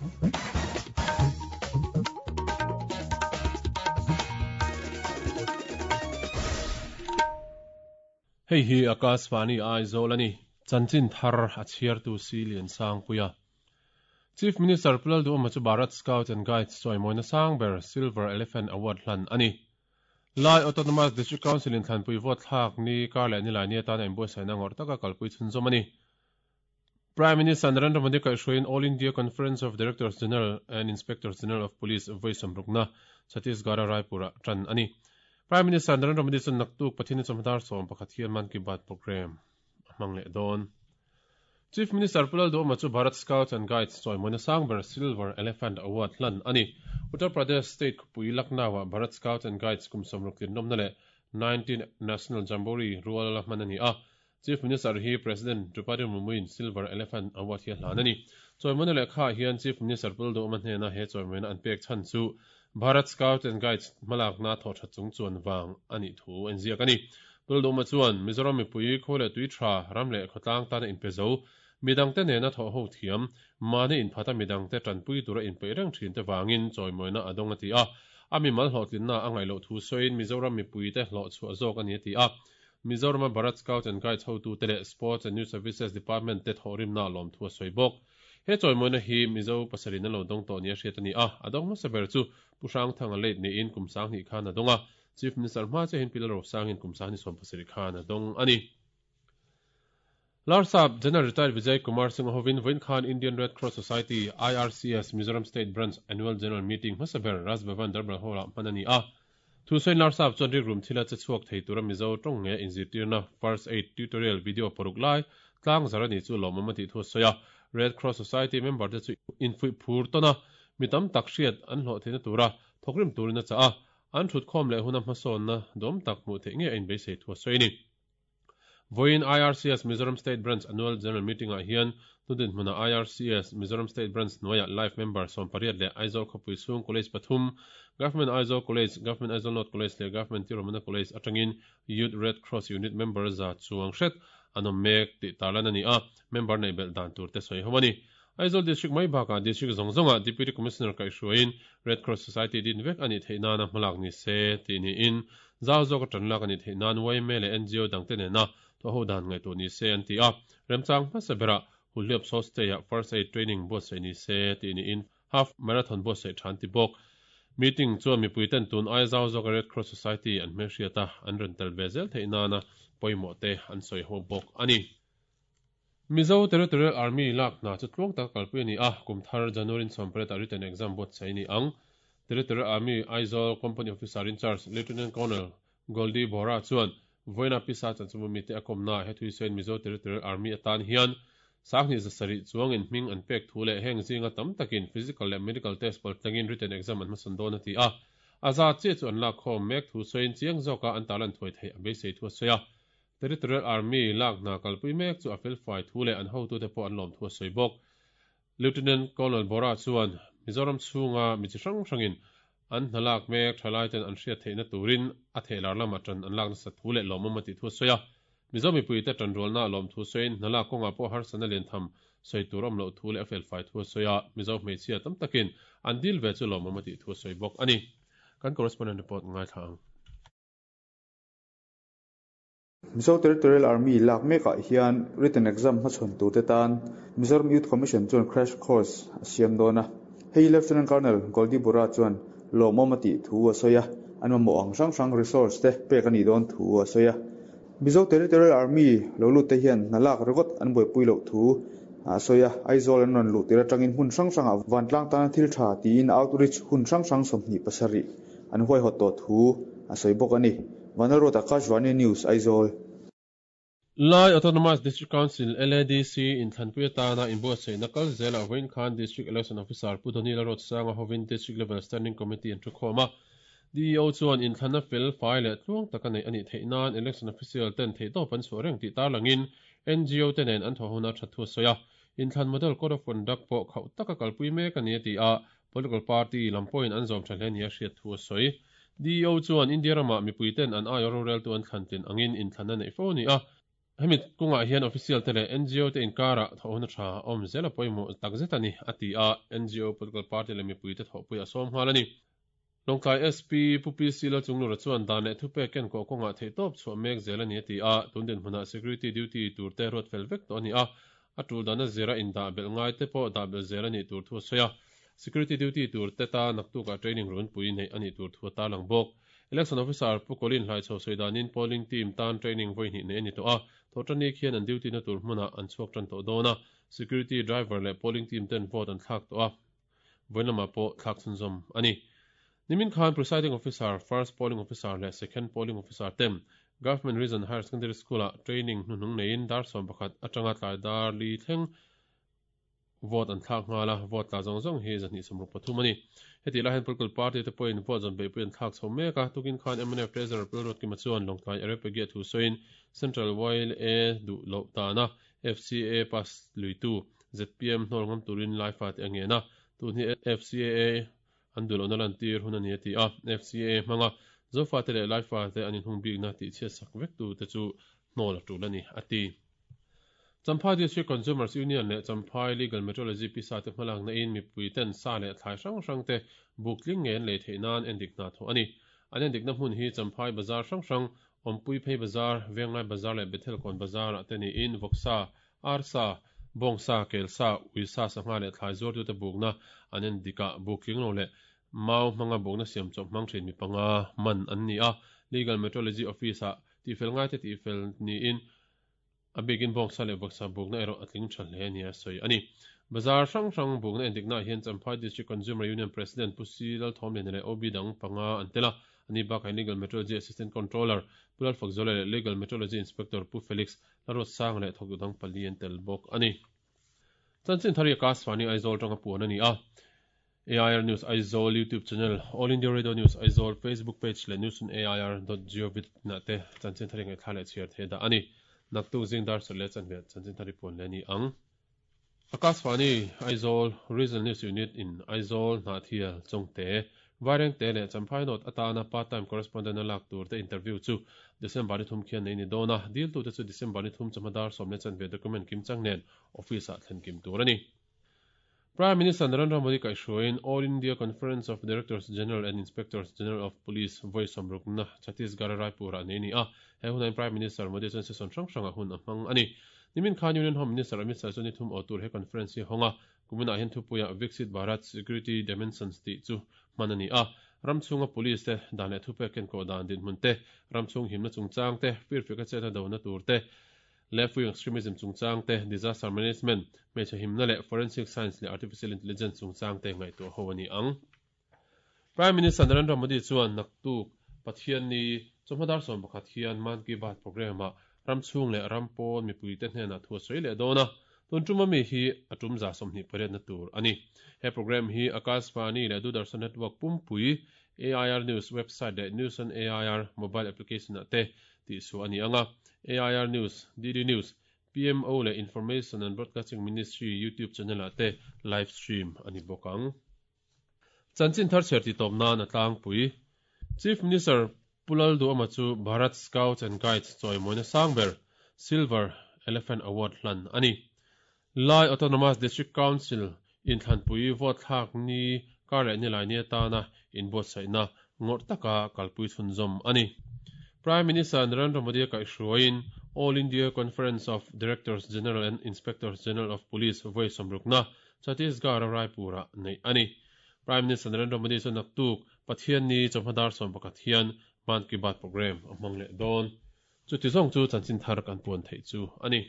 Hei hi Akashvani Aizawl a ni. Chanchin thar a chhiartu si Liansangpuia. Chief Minister Pu Lalduhawma chu Bharat Scouts and Guides chawimawina sang ber Silver Elephant Award hlan a ni. Lai Autonomous District Council in thlanpui vote thlak ni kar leh nilai ni atana inbuatsaihna ngawrh taka kalpui chhunzawm a ni. Prime Minister Narendra Modi kaihhruaiin All India Conference of Directors General and Inspectors General of Police vawi sawmrukna Chhattisgarh-a Raipur-ah tan a ni. Prime Minister Narendra Modi chuan naktuk Pathian chawhma dar 11 hian Mann Ki Baat programme a hmang leh dawn. Chief Minister Pu Lalduhawma chu Bharat Scouts and Guides chawimawina sang ber Silver Elephant Award hlan a ni. Uttar Pradesh State khawpui Lucknow-ah Bharat Scouts and Guides kum 60 tlinlawmna leh 19 National Jamboree rual la hman a ni a. Chief Minister hi President Draupadi Murmu-in Silver Elephant Award hi a hlan a ni. Chawimawina lehkhaah hian Chief Minister Pu Lalduhawma hnena he chawimawina an pek chhan chu Bharat Scout and Guides hmalakna thawh that chung chuan vang a nih thu a inziak a ni. Pu Lalduhawma chuan Mizoram mipui khaw leh tui tha, ram leh khawtlang tana inpe zo, midangte nena thawh ho thiam, mahni inphata midangte tanpui tura inpeih reng thinte vangin chawimawina a dawng a ti a. A mimal hlawhtlinna a ngaih loh thu sawiin Mizoram mipuite hlawhchhuah zawk a ni a ti a. Mizorama Bharat Scouts and Guides hotute leh Sports and Youth Services Department te thawhrimna lawmthu a sawi bawk. He chawimawina hi Mizo pasarih an lo dawng tawh nia hriat a ni a, a dawng hmasa ber chu Pu Hrangthanga late niin kum 20 khan a dawng a, Chief Minister hma chiahin Pi Lalrosangin kum 27 khan a dawng a ni. Larsap General Retired Vijay Kumar Singh hovin vawiin khan Indian Red Cross Society, IRCS, Mizoram State Branch Annual General Meeting hmasa ber Raj Bhavan Darbar Hall-ah hman a ni a. Thusawiin Larsap chuan rikrum thila che chhuak thei tura Mizo tawng nge inzirtirna First Aid Tutorial video paruk lai tlang zar a nih chu lawmawm a tih thu a sawi a. Red Cross Society member te chu infuih phur tawn a, mi tam tak hriat an hlawh theihna tura thawkrim turin a chah a. An thutkhawm leh huna hmasawnna dawm tak hmuh theih ngei a inbeisei thu a sawi a ni. Vawiin IRCS Mizoram State Branch Annual General Meeting-ah hian hnudin hmuna IRCS Mizoram State Branch hnuaiah Life Member 18 leh Aizawl khawpui chhung College pathum, Government Aizawl College, Government Aizawl North College leh Government Tirumana College atangin Youth Red Cross Unit member za chuang hret an awm mek tih tarlan a ni a, member neih belh dan tur te sawi ho a ni. Aizawl District mai bakah District zawng zawngah Deputy Commissioner kaihhruaiin Red Cross Society din vek a nih theih nana hmalak ni se tih niin zau zawka tan lak a nih theih nan yma leh NGO dangte nena thawhho dan ngaihtuah ni se an ti a. Remchang hmasa berah Hulhliap Sawstay-ah First Aid Training buatsaih ni se tih niin Half Marathon buatsaih tha an ti bawk. Meeting chuan mipuiten tun aia zau zawka Red Cross Society an hmelhriat a, an rawn tel ve zel theih nana pawimawh te an sawi ho bawk a ni. Mizo Territorial Army lak hna chu tluang taka kalpui a ni a, kum thar January 18 ah written exam buatsaih a ni ang. Territorial Army Aizawl Company Officer in Charge Lieutenant Colonel Goldie Bora chuan vawiina pisa chanchunga mite a kawmnaah he thuisawiin Mizo Territorial Army atan hian 2700 chuangin hming an pek thu leh heng zinga tam takin physical leh medical test paltlangin written exam an hmasawn dawn a ti a. A zat chiah chu an lakkhawm mek thu sawiin chiang zawka an tarlan thuai theih a beisei thu a sawi a. Territorial Army lak hna kalpui mek chu a felfai thu leh an hotute pawh an lawm thu a sawi bawk. Lieutenant Colonel Bora chuan Mizoram chhunga mi chi hrang hrangin an hna lak mek thalaiten an hriat theihna turin a theihlar lama tan an lak nasat thu leh lawmawm a tih thu a sawi a. Mizo mipuite tanrualna lawm thu sawiin hna lak kawngah pawh harsatna lian tham sawi tur awm loh thu leh a felfai thu a sawi a, Mizo hmeichhia tam takin an dil ve chu lawmawm a tih thu a sawi bawk a ni. Kan correspondent report ngaithla ang. Mizo Territorial Army lak mekah hian written exam hmachhawn turte tan Mizoram Youth Commission chuan crash course a siam dawn a. Hei Lieutenant Colonel Goldie Bora chuan lawmawm a tih thu a sawi a, an mamawh ang hrang hrang resource te pek a nih dawn thu a sawi a. Mizo Territorial Army lo lut te hian hna lak ringawt an buaipui loh thu a sawi a, Aizawl an rawn luh tir atangin hmun hrang hrangah vantlang tana thil tha tiin outreach hun hrang hrang 27 an huaihawt tawh thu a sawi bawk a ni. Vanlalruata Akashvani News, Aizawl. Lai Autonomous District Council, LADC, inthlanpui atana inbuatsaihna kal zelah vawiin khan District Election Officer Pu Donny Lalruatsanga hovin District Level Standing Committee an thukhawm a. DEO chuan inthlanna fel fai leh tluang taka neih a nih theih nan Election Official ten theihtawp an chhuah reng tih tarlangin NGO te nen an thawh huna that thu a sawi a. Inthlan Model Code of Conduct pawh khauh taka kalpui mek a ni a ti a, Political party lam pawhin an zawm tha hle nia hriat thu a sawi. DEO chuan India ramah mipuiten an aia roreltu an thlan tlin angin inthlanna neih fo a ni a. Hemi kawngah hian official te leh ngo te inkarah thawhhona tha awm zel a pawimawh takzet a ni, a ti a, ngo, political party leh mipuite thawhpui a sawm nghal a ni. Lawngtlai SP Pu PC Lalchunglura chuan dan leh thupek kenkawh kawngah theihtawp chhuah mek zel a ni a ti a, tun dinhmunah security duty tur te ruat fel vek tawh a ni a, a tul dana zira indah belh ngai te pawh dah belh zel a nih tur thu a sawi a, security duty tur te ta naktukah training runpui neih a nih tur thu a tarlang bawk. Election Officer Pu Colin Hlaichho sawi danin polling team tan training vawi hnih neih a ni tawh a, thawhṭanni khian an duty na tur hmunah an chhuak ṭan tawh dawn a, security driver leh polling team ten vote an thlak tawh a, vawiin lamah pawh thlak chhunzawm a ni. Nimin khan Presiding Officer, First Polling Officer leh Second Polling Officer ten Government Region Higher Secondary School-ah training hnuhnung neiin dar 11 atanga tlai dar li thleng Vote an thlak nghal a, vote tla zawng zawng hi 263 a ni. Hetih lai hian political party te pawhin vote zawn beihpui an thlak chho mek a, tukin khan mnf Treasurer Pu Ruatkima chuan Lawngtlai Areopagy-a thu sawiin Central YLA duh loh dana FCAA pass luitu zpm hnawl ngam turin Laifa te a ngen a, tun hi FCAA an duh lohna lantir hun a ni a ti a, FCAA hmanga Zofate leh Laifate an inhung bikna tihchhiatsak vektu te chu hnawl a tul a ni a ti. Champhai District Consumers Union leh Champhai Legal Metrology pisa te hmalakna in mipui ten sa leh thlai hrang hrang te buk tling ngei an lei theih nan endik hna thawh a ni. An endikna hmun hi Champhai Bazar hrang hrang, Awmpui Phei Bazar, Venglai Bazar leh Bethel Kawn Bazar ah te niin vawksa, arsa, bawngsa, kelsa, uisa, sangha leh thlai zuartute bukna an endik ah buk tling lo leh mau hmanga bukna siam chawp hmang thin mi panga man an ni a. Legal Metrology Office ah tihfel ngaite tihfel niin A bikin bawngsa leh vawksa bukna erawh a tling tha hle nia sawi a ni. Bazar hrang hrang bukna endiknaah hian Champhai District Consumer Union President Pu Si Lalthawmliana leh OB dang panga an tel a, ani bakah hian Legal Metrology Assistant Controller Pu Lalfakzuala leh Legal Metrology Inspector Pu Felix Lalruatsanga leh thawktu dang pali an tel bawk a ni. Chanchin thar hi Akashvani Aizawl tanga puan a ni a. AIR News Aizawl YouTube channel, All India Radio News Aizawl Facebook page leh news on air dot gov na te chanchin thar hi ngaihthla leh chhiar thei dah a ni. Naktuk zing dar sawrh leh chanve chanchin thar hi puan leh a ni ang. Akashvani Aizawl Regional News Unit in Aizawl, Hnahthial, Chawngte, Vairengte leh Champhai North atana part time correspondent a lak tur te interview chu December ni thum khian nei ni dawn a, diltute chu December ni thum chawhma dar 10 leh chanve document kimchang nen office ah thlen kim tur a ni. Prime Minister Narendra Modi kaihhruaiin All India Conference of Directors General and Inspectors General of Police vawi sawmrukna Chhattisgarh-a Raipur-ah nei a ni a. He hunain Prime Minister Modi chuan session hrang hrangah hun a hmang a ni. Nimin khan Union Home Minister Amit Shah chuan ni thum aw tur he conference hi a hawng a. Kuminah hian thupuiah Viksit Bharat Security Dimensions tih chu hman a ni a. Ram chhunga police te dan leh thupek kenkawh dan dinhmun te, ram chhung himna chungchang te, firfeka chetna dona tur te, Left-wing extremism chungchang te, disaster management, hmeichhe himna leh forensic science leh artificial intelligence chungchang te ngaihtuah ho a ni ang. Prime Minister Narendra Modi chuan naktuk Pathianni chawhma dar 11 hian Mann Ki Baat programme-ah ram chhung leh ram pawn mipuite hnenah thu a sawi leh dawn a, tun tum ami hi a tum 28 na tur a ni. He programme hi Akashvani leh Doordarshan Network pumpui, AIR News website leh News on AIR mobile application-ah te tihsuah a ni ang a, AIR News, DD News, PMO leh Information and Broadcasting Ministry YouTube channel-ah te live stream a ni bawk ang. Chanchin thar chhiar titawp nan a tlangpui. Chief Minister Pu Lalduhama chu Bharat Scouts and Guides chawimawina sang ber Silver Elephant Award hlan a ni. Lai Autonomous District Council inthlanpui vote thlak ni kar leh nilai ni atana inbuatsaihna ngawrh taka kalpui chhunzawm a ni. Prime Minister Narendra Modi a kaihhruaiin All India Conference of Directors General and Inspectors General of Police vawi sawmrukna Chhattisgarh-a Raipur-ah neih a ni. Prime Minister Narendra Modi chu naktuk Pathianni chawhma dar 11 hian Mann Ki Baat programme a hmang leh dawn. Chuti zawng chu chanchin thar kan puan theih chu a ni.